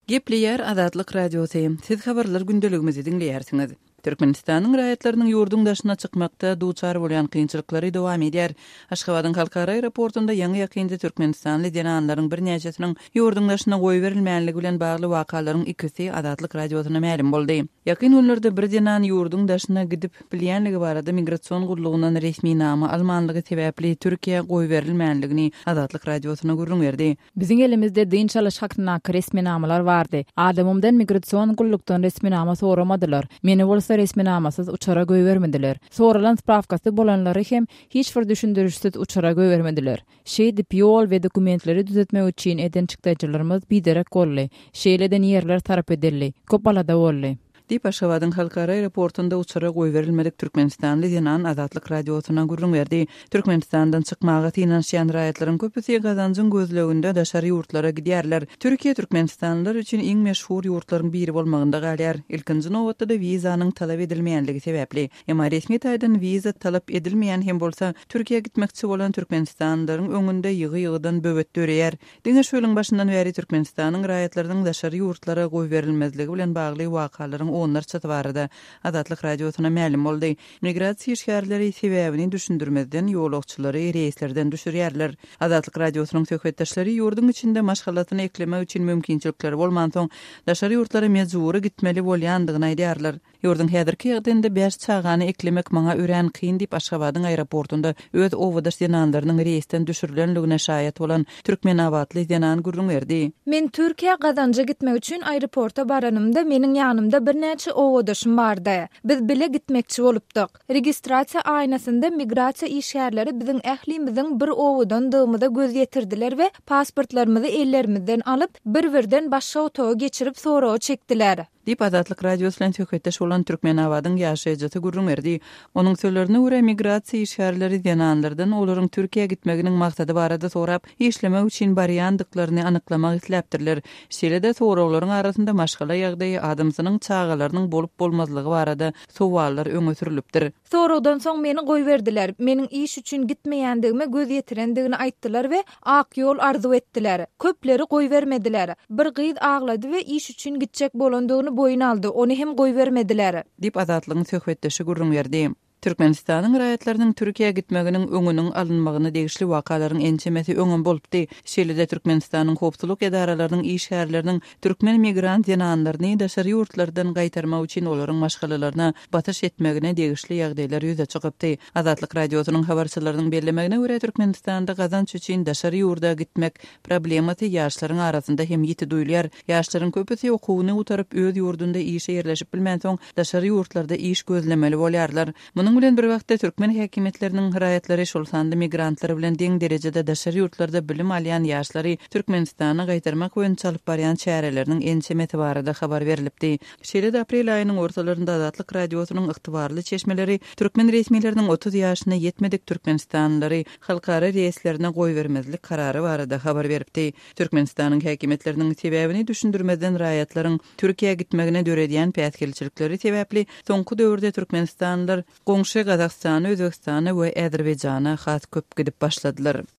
Gepleýär Azatlyk Radiosy, Siz habarlar gündeligimizi diňleýärsiňiz. Türkmenistanyň raýatlarynyň ýurduň daşyna çykmakda duçar bolýan kynçylyklary dowam edýär. Aşgabadyň halkara aeroportunda ýaňy-ýakynda türkmenistanly zenanlaryň birnäçesiniň ýurduň daşyna goýberilmänligi bilen bagly wakalaryň ikisi Azatlyk Radiosyna mälim boldy. Ýakyn günlerde bir zenan ýurduň daşyna gidip bilýänligi barada migrasion gullugyndan resminama almanlygy sebäpli Türkiýä goýberilmänligini Azatlyk Radiosyna gürrüň berdi. Biziň elimizde dynç alyş hakyndaky resminamalar bardy. Adamymdan migrasion gullukdan resminama soramadylar. Meni bolsa resminamasyz uçara goýbermediler. Soralan sprawkasy bolanlary hem hiç bir düşündirişsiz uçara goýbermediler. Şeýdip, ýol we dokumentleri düzetmek üçin eden çykdajylarymyz biderek boldy. Şeýle eden ýerler sarp edildi. Köp alada boldy. Diýip, Aşgabadyň halkara aeroportunda uçara goýberilmedik türkmenistanly zenan Azatlyk Radiosyna gürrüň berdi. Türkmenistandan çykmaga synanyşýan raýatlaryň köpüsi gazanjyň gözleginde daşary ýurtlara gidýärler. Türkiýe türkmenistanlylar üçin iň meşhur ýurtlaryň biri bolmagynda galýar. Ilkinji nobatda-da wizanyň talap edilmeýänligi sebäpli. Emma resmi taýdan wiza talap edilmeýän hem bolsa, Türkiýä gitmekçi bolan türkmenistanlylaryň öňünde ýygy-ýygydan böwet döreýär. Diňe şu ýylyň başyndan bäri Türkmenistanyň raýatlarynyň daşary ýurtlara goýberilmezligi bilen bagly wakalaryň onlarçasy barada Azatlyk Radiosyna mälim boldy. Migrasiýa işgärleri sebäbini düşündirmezden ýolagçylary reýslerden düşürýärler. Azatlyk Radiosynyň söhbetdeşleri ýurduň içinde maşgalasyny eklemek üçin mümkinçilikleri bolmansoň, daşary ýurtlara mejbury gitmeli bolýandygyny aýdýarlar. Ýurduň häzirki ýagdaýynda bäş çagany eklemek maňa örän kyn diýip, Aşgabadyň aeroportunda öz obadaş zenanlarynyň reýsden düşürilenligine şaýat bolan türkmenabatly zenan gürrüň berdi. Men Türkiýä gazanja gitmek üçin aeroporta baranymda meniň ýanymda birnäçe obadaşym bardy. Biz bile gitmekçi bolupdyk. Registrasiýa aýnasynda migrasiýa işgärleri biziň ählimiziň bir obadandygymyza göz ýetirdiler we pasportlarymyzy ellerimizden alyp, bir-birden başga otaga geçirip soraga çekdiler. Diýip, Azatlyk Radiosy bilen söhbetdeş bolan Türkmenabadyň ýaşaýjysy gürrüň berdi. Onuň sözlerine görä, migrasiýa işgärleri zenanlardan olaryň Türkiýä gitmeginiň maksady barada sorap, işlemek üçin barýandyklaryny anyklamak isläpdirler. Şeýle-de, soraglaryň arasynda maşgala ýagdaýy, adamsynyň çagalarynyň bolup-bolmazlygy barada sowallar öňe sürlüpdir. Soragdan soň meni goýberdiler. Meniň iş üçin gitmeýändigime göz ýetirendigini aýtdylar we ak ýol arzuw etdiler. Köpleri goýbermediler. Bir gyz aglady we iş üçin gitjek bolandygyny boýun aldy, ony hem goýbermediler. Diýip, Azatlygyň söhbetdeşi gürrüň berdi. Türkmenistanyň raýatlarynyň Türkiýä gitmeginiň öňüniň alynmagyna degişli wakalaryň ençemesi öňem bolupdy. Şeýle-de Türkmenistanyň howpsuzlyk edaralarynyň işgärleriniň Türkmen migrant zenanlaryny daşary ýurtlardan gaýtarmak üçin olaryň maşgalalaryna basyş etmegine degişli ýagdaýlar ýüze çykypdy. Azatlyk Radiosynyň habarçylarynyň bellemegine görä, Türkmenistanda gazanç üçin daşary ýurda gitmek problemasy ýaşlaryň arasynda hem ýiti duýulýar. Ýaşlaryň köpüsi okuwyny gutaryp, öz ýurdunda işe ýerleşip bilmänsoň, daşary ýurtlarda iş gözlemeli bolýarlar. Munuň bilen bir wagtda, türkmen häkimiýetleriniň raýatlary, şol sanda migrantlar bilen deň derejede daşary ýurtlarda bilim alýan ýaşlary Türkmenistana gaýtarmak boýunça alyp barýan çäreleriniň ençemesi barada habar berlipdi. Şeýle-de aprel aýynyň ortalarynda Azatlyk Radiosynyň ygtybarly çeşmeleri türkmen resmileriniň 30 ýaşyna ýetmedik türkmenistanlylary halkara reýslerine goýbermezlik karary barada habar beripdi. Türkmenistanyň häkimiýetleriniň sebäbini düşündirmezden raýatlaryň Türkiýä gitmegine döredýän päsgelçilikleri sebäpli soňky döwürde türkmenistanlylar goňşy Gazagystana, Özbegistana we Azerbaýjana has köp gidip başladylar.